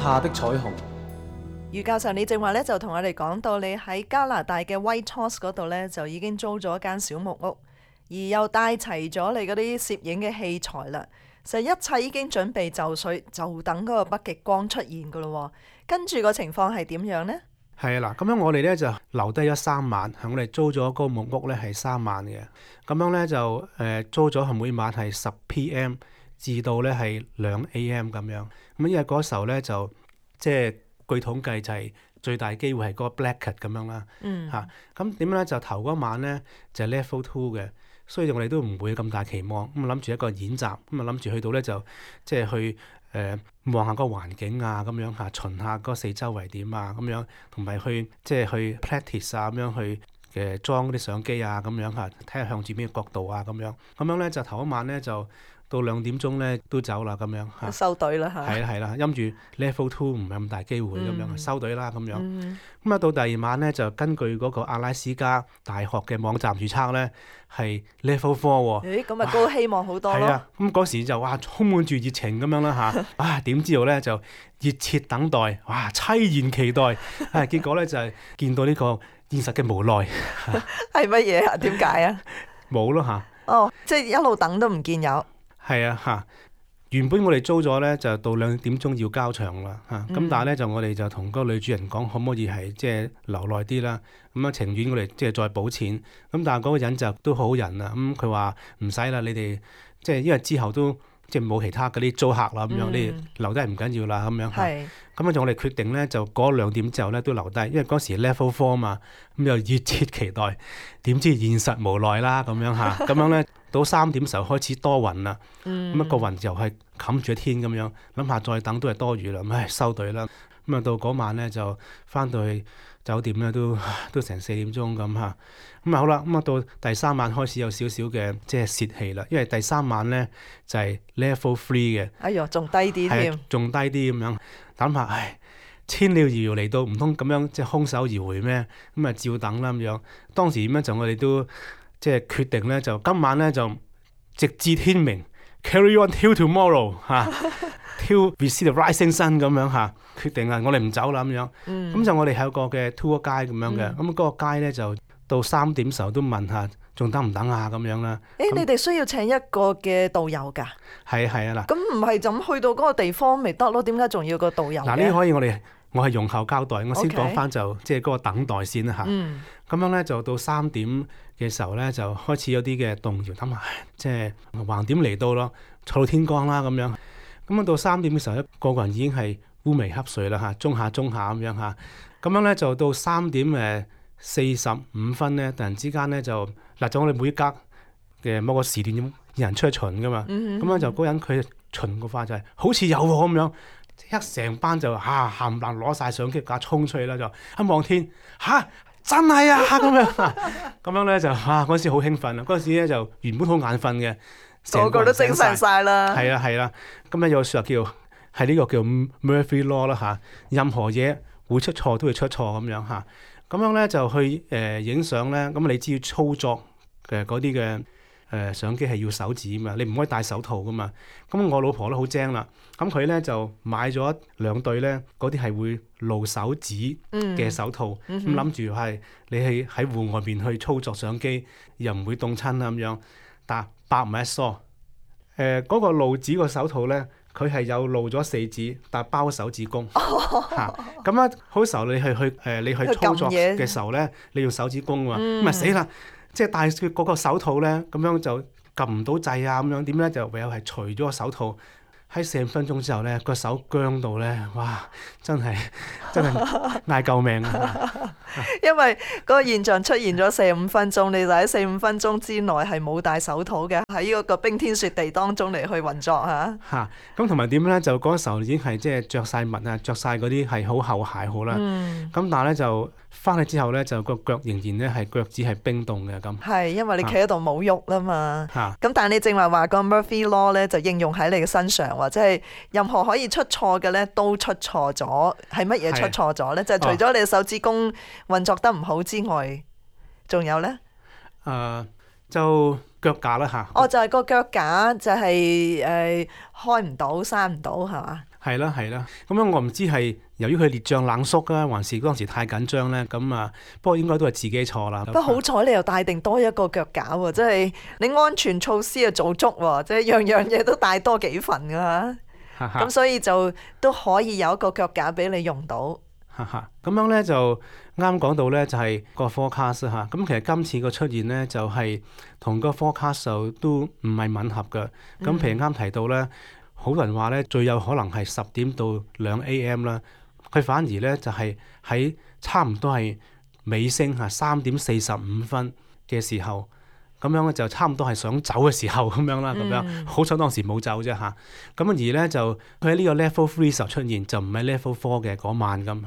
下的彩虹。余教授，你正話咧就同我哋講到，你喺加拿大嘅 Whitehorse 嗰度咧就已經租咗一間小木屋，而又帶齊咗你嗰啲攝影嘅器材啦。實一切已經準備就緒，就等嗰個北極光出現噶咯。跟住個情況係點樣呢？係啊，嗱，咁樣我哋咧就留低咗3晚，我哋租咗嗰個木屋咧係3晚嘅，咁樣咧就租咗係每晚係10 PM 至到咧係2 AM 咁樣。咁因為嗰時候咧就即係據統計就係最大機會係嗰個 Blackcard 咁樣啦。嚇，咁點樣咧就頭嗰晚咧就係 Level 2嘅，所以我哋都唔會咁大期望。咁啊諗住一個演習，咁啊諗住去到咧就即係去望下個環境啊，咁樣嚇，巡下嗰四周圍點啊，咁樣同埋去即係去 practice 啊，咁樣去裝啲相機啊，咁樣嚇，睇下向住邊個角度啊，咁樣咧就頭一晚咧就到2點鐘咧都走啦，咁樣嚇。收隊啦嚇。係啦，因住 Level 2唔係咁大機會咁樣，收隊啦咁樣。咁啊到第2晚咧就根據嗰個阿拉斯加大學嘅網站預測咧係 Level 4喎。咁啊高希望好多咯。係啊，咁嗰時就哇充滿住熱情咁樣啦嚇。點知道咧就熱切等待，哇凄然期待。結果咧就係見到呢個現實嘅無奈。係乜嘢啊？點解啊？冇咯嚇。哦，即係一路等都唔見有。係啊嚇，原本我哋租咗咧就到2點鐘要交場啦嚇，咁但係咧就我哋就同嗰個女主人講可唔可以係即係留耐啲啦，咁啊情願我哋即係再補錢，咁但係嗰個人就都好人啊，咁佢話唔使啦，你哋即係因為之後都即係冇其他嗰啲租客啦咁樣，你哋留低唔緊要啦咁樣嚇。咁就我哋決定咧，就過2點之後咧都留低，因為嗰時 Level 4嘛，咁又熱切期待，點知現實無奈啦咁樣嚇，咁樣咧到3點時候開始多雲啦，咁個雲就係冚住天咁樣，諗下再等都係多餘啦，唉收隊啦，咁啊到嗰晚咧就翻到去酒店咧都成4點鐘咁嚇，咁啊好啦，咁啊到第3晚開始有少少嘅即係泄氣啦，因為第3晚咧就係 Level 3嘅，哎呦仲低啲添，仲低啲咁樣。諗下，千料遙遙嚟到，唔通咁樣即係空手而回咩？咁啊照等啦咁樣。當時點樣就我哋都即係決定咧，就今晚咧就直至天明 ，carry on till tomorrow 嚇，till we see the rising sun 咁樣嚇。決定啊，我哋唔走啦咁樣。咁就我哋係有個嘅 tour guide 咁樣嘅。咁嗰個 guide咧就到3點時候都問下，仲等唔等啊？咁樣啦。你哋需要請一個嘅導遊㗎？係啊嗱。咁唔係就咁去到嗰個地方咪得咯？點解仲要個導遊嘅？嗱，呢可以我係容後交代，我先講翻就即係嗰個等待先啦嚇。咁樣咧就到3點嘅時候咧就開始有啲嘅動搖，諗下即係橫點嚟到咯，坐到天光啦咁樣。咁啊到3點嘅時候咧，個人已經係烏眉瞌睡啦嚇，中下咁樣嚇。咁樣咧就到3點45分咧，突然之間咧就我哋每格嘅某個時段有人出去巡噶嘛，咁樣就嗰人佢巡個快就係好似有喎咁樣，一成班就冚唪唥攞晒相機架衝出去啦，就一望天真係啊咁樣，咁樣咧就嗰陣時好興奮啊！嗰陣時咧就原本好眼瞓嘅，個個都精神晒啦。係啦，咁咧有個説話叫係呢個叫 Murphy Law 啦嚇，任何嘢會出錯都會出錯咁樣嚇。咁樣咧就去影相咧，咁你知要操作嘅嗰啲嘅相機係要手指嘛，你唔可以戴手套噶嘛。咁我老婆都好精啦，咁佢咧就買咗2對咧，嗰啲係會露手指嘅手套，咁諗住係你係喺戶外邊去操作相機，又唔會凍親啦咁樣。但百無一疏，嗰個露指個手套咧，佢係有露咗4指，但包手指公嚇。咁啊，好時候你去操作嘅時候咧，你用手指公喎，咁咪死啦！即係戴嗰個手套咧，咁樣就撳唔到掣啊！咁樣點咧就唯有係除咗個手套。喺4分鐘之後咧，個手僵到咧，哇！真係嗌救命啊！因為嗰個現象出現咗4-5分鐘，你就喺4-5分鐘之內係冇戴手套嘅，喺嗰個冰天雪地當中嚟去運作嚇。咁同埋點咧？就嗰時候已經係即係著曬襪啊，著曬嗰啲係好厚鞋好啦。咁但係咧就翻去之後咧，就個腳仍然咧係腳趾係冰凍嘅咁。係因為你企喺度冇喐啦嘛。咁但係你正話個 Murphy Law 咧就應用喺你嘅身上。或者係任何可以出錯嘅咧，都出錯咗。係乜嘢出錯咗咧？就係除咗你手指公運作得唔好之外，仲有咧？就腳架啦嚇。就係個腳架就係開唔到、閂唔到係嘛？係啦係啦，咁樣我唔知係由於佢烈醬冷縮啊，還是當時太緊張咧？咁啊，不過應該都係自己錯啦。不過好彩你又帶定多一個腳架喎，即係你安全措施啊做足喎，即係樣樣嘢都帶多幾份㗎嚇。咁所以就都可以有一個腳架俾你用到。咁樣咧就啱講到咧，就係個 forecast 嚇。咁其實今次個出現咧，就係同個 forecast 就都唔係吻合嘅。咁譬如啱提到咧，好多人話咧最有可能係10點到2 AM 啦，佢反而咧就係喺差唔多係尾聲嚇3點45分嘅時候。咁樣咧就差唔多係想走嘅時候咁樣啦，咁樣好彩當時冇走啫嚇。咁而咧就佢喺呢個 level 3時候出現，就唔係 level 4嘅嗰晚咁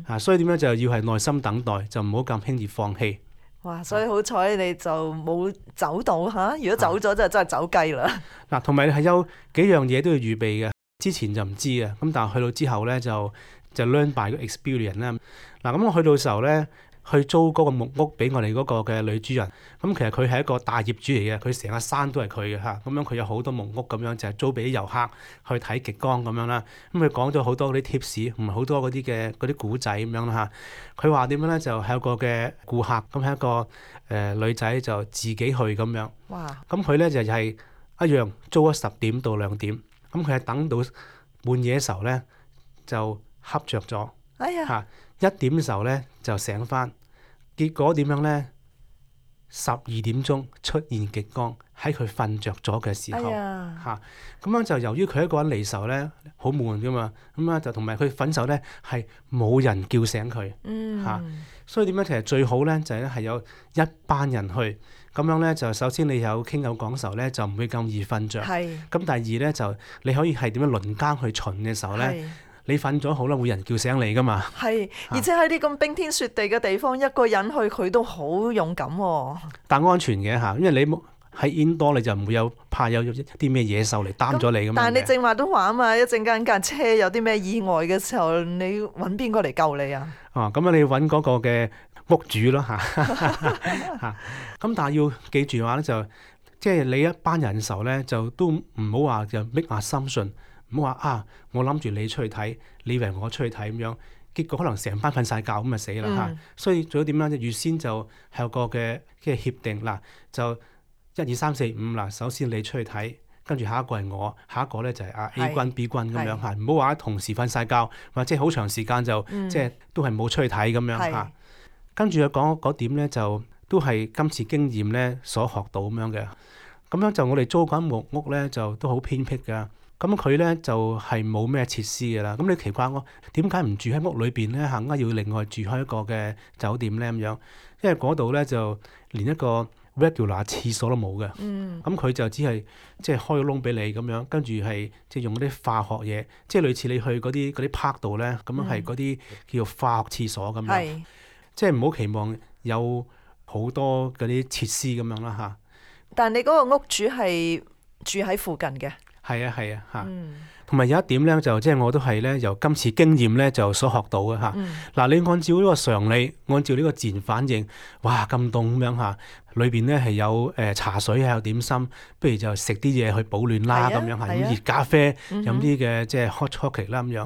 嚇。所以點樣就要係耐心等待，就唔好咁輕易放棄。哇！所以好彩你就冇走到嚇，如果走咗就真係走雞啦。嗱，同埋係有幾樣嘢都要預備嘅，之前就唔知嘅，咁但係去到之後咧就 learn by 個 experience 啦。嗱，咁我去到時候咧，去租嗰個木屋俾我哋嗰個嘅女主人，咁其實佢係一個大業主嚟嘅，佢成個山都係佢嘅嚇，咁樣佢有好多木屋咁樣，就係租俾啲遊客去睇極光咁樣啦。咁佢講咗好多嗰啲 tips，同埋好多嗰啲古仔咁樣啦嚇。佢話點樣咧？就係有個嘅顧客，咁係一個女仔就自己去咁樣。哇！咁佢咧就係一樣租咗10點到2點，咁佢係等到半夜嘅時候咧就瞌着咗。哎呀！嚇1點嘅時候咧就醒翻，結果點樣咧？12點鐘出現極光，喺佢瞓着咗嘅時候嚇，咁樣就由於佢一個人離愁咧，好悶噶嘛，咁啊就同埋佢瞓手咧係冇人叫醒佢嚇，所以點樣其實最好咧就係有一班人去，咁樣咧就首先你有傾有講時候咧就唔會咁易瞓着，咁第二咧就你可以係點樣輪更去巡嘅時候咧。你瞓咗好啦，會人叫醒你噶嘛？係，而且喺啲咁冰天雪地嘅地方，一個人去佢都好勇敢喎。但安全嘅嚇，因為你喺 indoor 你就唔會有怕有啲咩野獸嚟擔咗你噶嘛。但係你正話都話啊嘛，一陣間架車有啲咩意外嘅時候，你揾邊個嚟救你啊？咁你揾嗰個嘅屋主咯嚇嚇。咁但係要記住話咧，就即係你一班人嘅時候咧，就都唔好話就 make assumption。唔好話啊！我諗住你出去睇，你以為我出去睇咁樣，結果可能成班瞓晒覺咁就死啦嚇。所以做咗點樣？預先就係有個嘅協定嗱，就1、2、3、4、5嗱。首先你出去睇，跟住下一個係我，下一個咧就係A 君、B 君咁樣嚇。唔好話同時瞓晒覺，或者好長時間就即係都係冇出去睇咁樣嚇。跟住又講嗰點咧，就都係今次經驗咧所學到咁樣嘅。咁樣就我哋租緊木屋咧，就都好偏僻㗎。咁佢咧就係冇咩設施嘅啦。咁你奇怪我點解唔住喺屋裏邊咧？嚇，要另外住開一個嘅酒店咧咁樣，因為嗰度咧就連一個 regular 廁所都冇嘅。咁佢就只係即係開個窿俾你咁樣，跟住係即係用嗰啲化學嘢，即係類似你去嗰啲 park 度咧，咁樣係嗰啲叫做化學廁所咁樣。即係唔好期望有好多嗰啲設施咁樣啦嚇。但係你嗰個屋主係住喺附近嘅。係啊嚇，同埋有一點咧，就即係我都係咧由今次經驗咧就所學到嘅嚇。嗱，你按照呢個常理，按照呢個自然反應，哇咁凍咁樣嚇，裏邊咧係有茶水啊，有點心，不如就食啲嘢去保暖啦咁樣嚇，飲熱咖啡，飲啲嘅即係 hot chocolate 啦咁樣。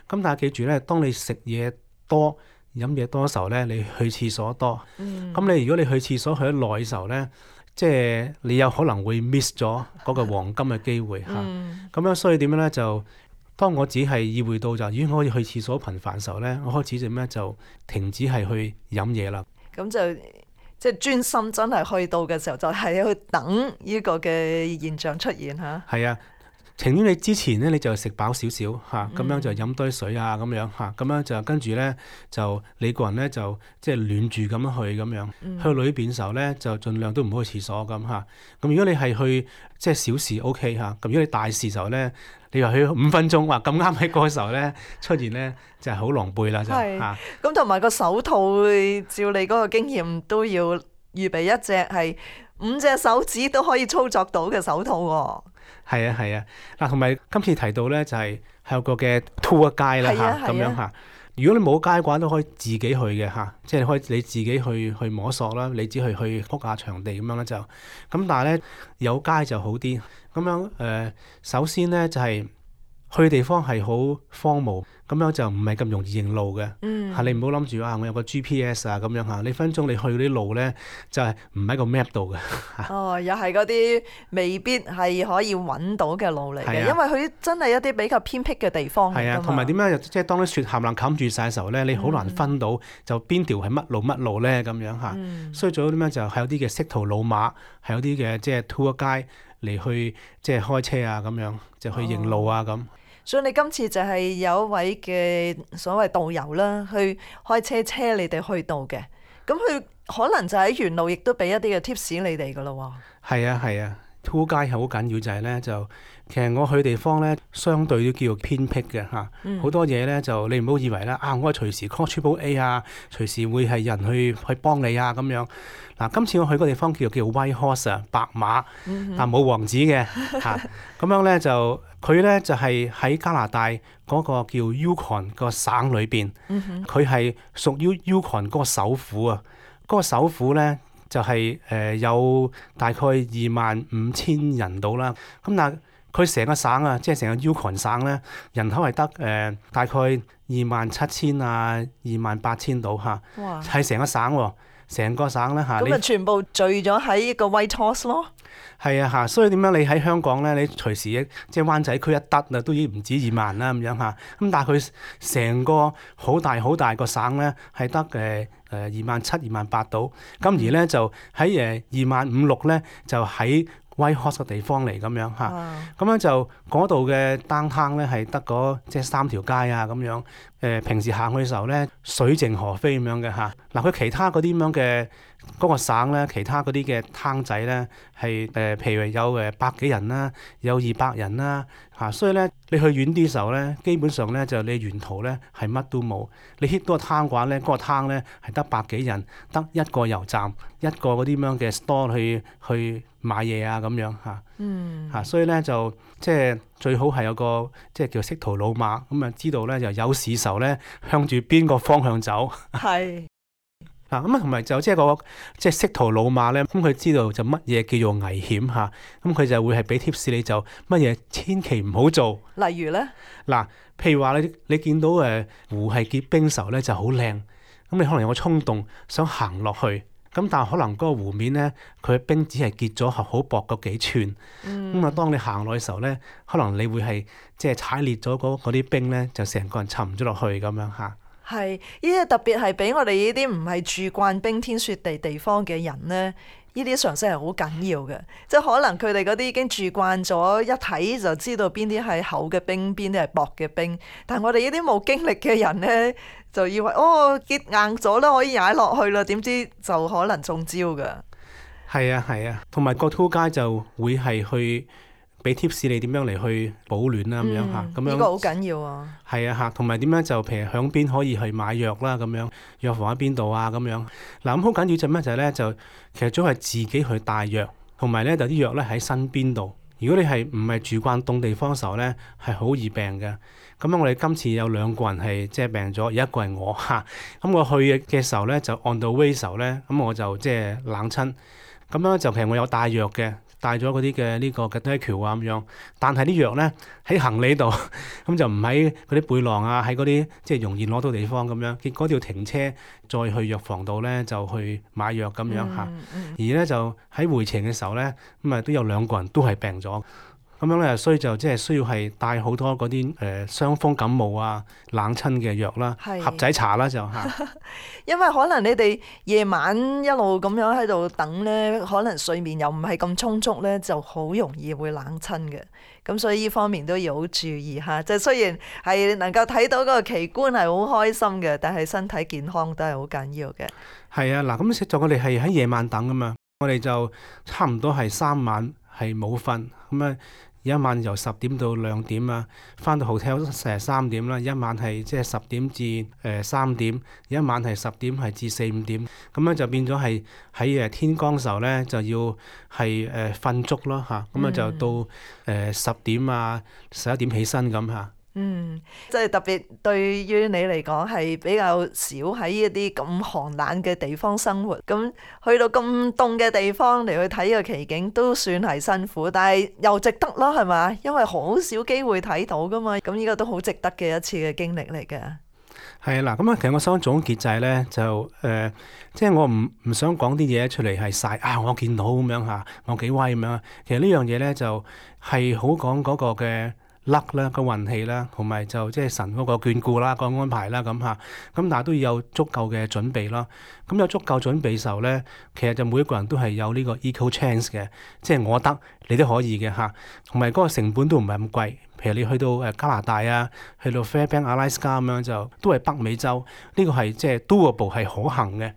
咁但係記住咧，當你食嘢多、飲嘢多嘅時候咧，你去廁所多。咁你如果你去廁所去得耐嘅時候咧，即係你有可能會 miss 咗嗰個黃金嘅機會嚇，咁樣所以點樣咧？就當我只係意會到就，如果我可以去廁所頻繁嘅時候咧，我開始點咧就停止係去飲嘢啦。咁就即係專心真係去到嘅時候，就係去等呢個嘅現象出現嚇。係啊。情願你之前咧，你就食飽少少嚇，咁樣就飲多啲水啊，咁樣嚇，咁樣就跟住咧就你個人咧就即係暖住咁樣去咁樣，去裏邊嘅時候咧就盡量都唔好去廁所咁嚇。咁如果你係去即係小事 OK 嚇，咁如果你大事時候咧，你話去5分鐘，話咁啱喺嗰個時候咧出現咧就係好狼狽啦就嚇。咁同埋個手套，照你嗰個經驗都要預備一隻係5隻手指都可以操作到嘅手套喎。係啊，嗱，同埋今次提到咧就係有個嘅 tour guide 啦嚇，咁樣嚇。如果你冇街嘅話，都可以自己去嘅嚇，即係可以你自己去摸索啦，你只去 book 下場地咁樣咧就。咁但係咧有街就好啲。咁樣首先咧就係去地方係好荒蕪，咁樣就唔係咁容易認路嘅。嗯，你唔好諗住我有個 GPS 啊咁樣嚇，你分鐘你去嗰啲路咧就係唔喺個 map 度嘅。哦，又係嗰啲未必係可以揾到嘅路嚟嘅，因為佢真係一啲比較偏僻嘅地方嚟㗎嘛。係啊，同埋點樣即係當啲雪冚唪唥冚住晒嘅時候咧，你好難分到就邊條係乜路咧咁樣嚇。所以最好點樣就係有啲嘅識途老馬，係有啲嘅即係 tour guide嚟去即係開車啊咁樣，就去認路啊咁。所以你今次就係有一位嘅所謂導遊啦，去開車你哋去到嘅，咁佢可能就喺沿路亦都俾一啲嘅 tips 你哋噶咯喎。係啊，tour guide係好緊要就係咧就其實我去地方咧相對都叫做偏僻嘅嚇，好多嘢咧就你唔好以為咧我隨時 call Triple A 啊，隨時會係人去幫你啊咁樣。嗱，今次我去個地方叫 White Horse 啊，白馬，但冇王子嘅嚇。咁樣咧就佢咧就係喺加拿大嗰個叫 Yukon 個省裏邊，佢係屬於 Yukon 嗰個首府啊。嗰個首府咧就係有大概25,000人到啦。咁但係佢成個省啊，即係成個 Yukon 省咧，人口係得大概27,000啊28,000到嚇，係成個省喎。成個省咧嚇，咁啊全部聚咗喺個 Whitehorse 咯。係啊嚇，所以點樣你喺香港咧，你隨時即係灣仔區一得啊，都已經唔止2萬啦咁樣嚇。咁但係佢成個好大個省咧，係得27,000、28,000到。咁而咧就喺25,600咧，就喺Whitehorse 嘅地方嚟咁樣嚇，咁樣就嗰度嘅 downtown 咧係得嗰即係3條街啊咁樣。平時行去嘅時候咧，水靜河飛咁樣嘅嚇。嗱，佢其他嗰啲咁樣嘅嗰個省咧，其他嗰啲嘅攤仔咧係譬如有百幾人啦，有200人啦嚇。所以咧你去遠啲嘅時候咧，基本上咧就你沿途咧係乜都冇。你 hit 到個攤嘅話咧，嗰個攤咧係得百幾人，得一個油站，一個嗰啲咁樣嘅 store 去買嘢啊咁樣嚇。所以咧就即係最好係有個即係叫識途老馬，咁啊知道咧就有事時候咧向住邊個方向走。係嗱咁啊，同埋就即係個即係識途老馬咧，咁佢知道就乜嘢叫做危險嚇，咁佢就會係俾 tips 你，就乜嘢千祈唔好做。例如咧嗱，譬如話你見到湖係結冰時候咧就好靚，咁你可能有個衝動想行落去。咁但係可能嗰個湖面咧，佢嘅冰只係結咗好薄嗰幾寸。咁當你行落去嘅時候咧，可能你會係即係踩裂咗嗰啲冰咧，就成個人沉咗落去咁樣嚇。係，呢啲特別係俾我哋呢啲唔係住慣冰天雪地地方嘅人咧，呢啲常識係好緊要嘅。即係可能佢哋嗰啲已經住慣咗，一睇就知道邊啲係厚嘅冰，邊啲係薄嘅冰。但係我哋呢啲冇經歷嘅人咧，就以為結硬咗啦，可以踩落去啦，點知就可能中招㗎。係啊，同埋個 tour guide就會係去俾 tips 你點樣嚟去保暖啦咁樣嚇。咁樣呢個好緊要啊。係啊嚇，同埋點樣就譬如響邊可以去買藥啦咁樣，藥房喺邊度啊咁樣。嗱咁好緊要就咩就係咧，就其實最好係自己去帶藥，同埋咧就啲藥咧喺身邊度。如果你係唔係住慣凍地方嘅時候咧，係好易病嘅。咁樣我哋今次有2個人係即係病咗，而一個係我嚇。咁我去嘅時候咧，就 on the way 時候咧，咁我就即係冷親。咁樣就其實我有帶藥嘅，帶咗嗰啲嘅呢個嘅 Dettol 啊咁樣。但係啲藥咧喺行李度，咁就唔喺嗰啲背囊啊，喺嗰啲即係容易攞到地方咁樣。結果要停車再去藥房度咧，就去買藥咁樣嚇。而咧就喺回程嘅時候咧，咁啊都有2個人都係病咗。咁樣咧，所以就即係需要係帶好多嗰啲傷風感冒啊、冷親嘅藥啦、盒仔茶啦就嚇。因為可能你哋夜晚一路咁樣喺度等咧，可能睡眠又唔係咁充足咧，就好容易會冷親嘅。咁所以呢方面都要好注意嚇。即係雖然係能夠睇到嗰個奇觀係好開心嘅，但係身體健康都係好緊要嘅。係啊，嗱咁實在我哋係喺夜晚等㗎嘛，我哋就差唔多係3晚係冇瞓咁啊。一晚由10點到2點啊，翻到 hotel 3點啦。一晚係即係10點至3點，一晚係10點係至4、5點，咁樣就變咗係喺天光時候咧就要係瞓足咯嚇，咁啊就到10點啊11點起身咁嚇。即係特別對於你嚟講係比較少喺一啲咁寒冷嘅地方生活，咁去到咁凍嘅地方嚟去睇個奇景都算係辛苦，但係又值得咯，係嘛？因為好少機會睇到噶嘛，咁呢個都好值得嘅一次嘅經歷嚟嘅。係啦，咁啊，其實我想總結就係咧，即係我唔想講啲嘢出嚟係晒啊，我見到咁樣嚇，我幾威咁樣。其實呢樣嘢咧就係好講嗰個嘅luck啦，個運氣啦，同埋就即係神嗰個眷顧啦，個安排啦咁嚇。咁但係都要有足夠嘅準備咯。咁有足夠準備時候咧，其實就每一個人都係有呢個 equal chance 嘅，即係我得你都可以嘅嚇。同埋嗰個成本都唔係咁貴。譬如你去到加拿大啊，去到 Fairbanks Alaska 咁樣就都係北美洲，呢個係即係 doable 係可行嘅。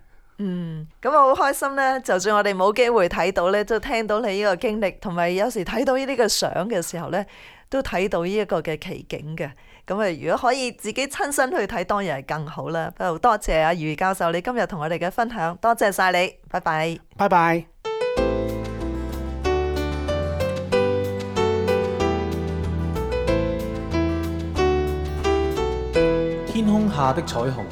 咁我好開心呢，就算我哋冇機會睇到呢，都聽到你呢個經歷，同埋有時睇到呢啲嘅相嘅時候呢，都睇到呢一個嘅奇景嘅。咁啊，如果可以自己親身去睇，當然係更好啦。不過多謝阿余教授你今日同我哋嘅分享，多謝晒你，拜拜。拜拜。天空下的彩虹。